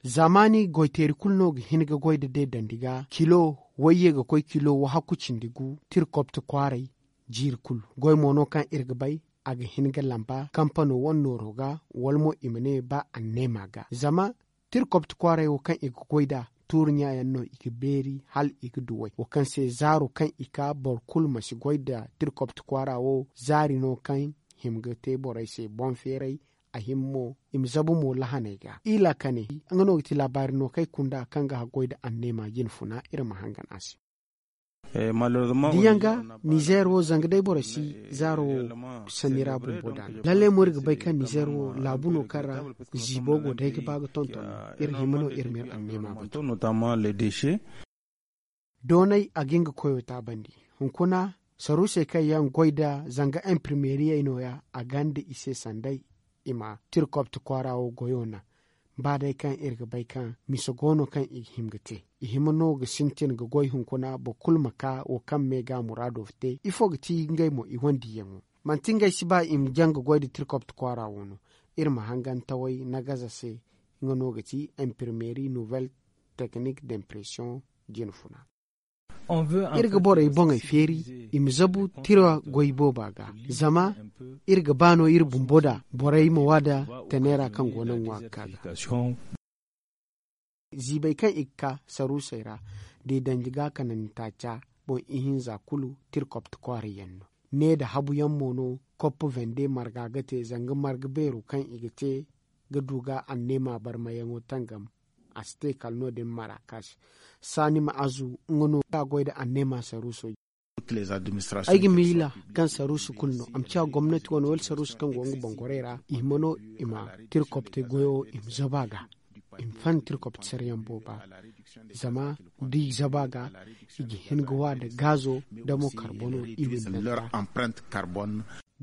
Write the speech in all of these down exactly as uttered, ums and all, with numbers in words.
Zaamaani goyteeri kulu no ga hin ga goy nda deedandi ga kilo wayye ga koy kilo wahakku cindi gu tirkopti kwaaray. Jiiri kulu goy mo no kaŋ iri ga bay a ga hin ga lamba kampano wane nooro ga wala mo i ma ne ba anneema ga zama tirkopti kwaaray wo kaŋ i ga goy nd'a tuuri ɲaayaŋ no i ga beeri hala i ga du way wo kaŋ se zaaro kaŋ i ka boro kulu ma si goy nda tirkopti kwaara wo zaari no kaŋ hima ga te borey se boŋ feeray. A hima mo i ma zabu mo lahaney ga i laakane nga no ga ti laabaari no kaŋ ay kunda kaŋ ga haggoy nda anneema jine funa iri ma hangan a se. Diyaŋ ga nizeer wo zanga day boro si zaaro wo sanni ra bumbo daana lallay mo iri ga bay kaŋ nizeer wo laabu no kaŋ ra ziibo go day ga ba ga tonton iri hima no iri ma iri anneema batu. Doonay a ga nga koyo taabandi hunkuna saruusey kaŋ yaŋ goy nda zanga imprimeeriyey nooya a gonda i se sanday i ma tirkopti kwaara wo goyo naŋ. Ba day kaŋ iri ga bay kaŋ mise go no kaŋ i ga hima ga te i hima no ga sintin ga goy hunkuna boro kulu ma ka wo kaŋ me ga muraado te ifo ga ti ngey mo i wane diiyaŋo manti ngey si ba i ma jaŋ ga goy nda tirkopti kwaara wo no. Iri ma hangantawey nagaza se nga no ga ti imprimeeri nouvelle technique d'impression jine funa. Iri ga borey boŋey feeri i ma zabu tira goy booba ga zama iri ga ba no iri bumbo da borey ma wa da taneera kaŋ go no ŋwa ga ka ga. Ziibey kaŋ i ga ka saruusey ra da i danji ga kanandi taaca boŋ ihinza kulu tirkopti kwaara yaŋ no. Ne nda habu yaŋ mo no koppu vende marga ga te zanga marga beero kaŋ i ga te ga du ga anneema barmayaŋo tangam. A si te kala no- din marakas saani ma azu nga no ga goy nda anneema saruuso. Ay ga miila kaŋ saruusu kulu no a ma ciya gomnati wane wala saruusu kaŋ go nga boŋ gorey ra i hima no i ma tirkopte goyo i ma zabu a ga i ma fan tirkopte sarayaŋ booba. Zama da i zabu a ga i ga hin ga wa nda gaazo nda mo karbono i windanta.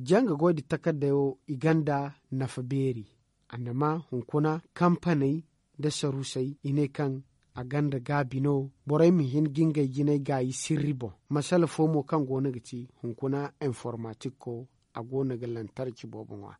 Janga goy nda takarday wo i gonda nafa beeri. Annama hunkuna kampaney nda saruusey i ne kaŋ a gonda gaabi no borey ma hin ga ngey jinay gaayi sirri boŋ. Masala fo mo kaŋ go no ga ti hunkuna informatikko a go no ga lantarki boobo ŋwa.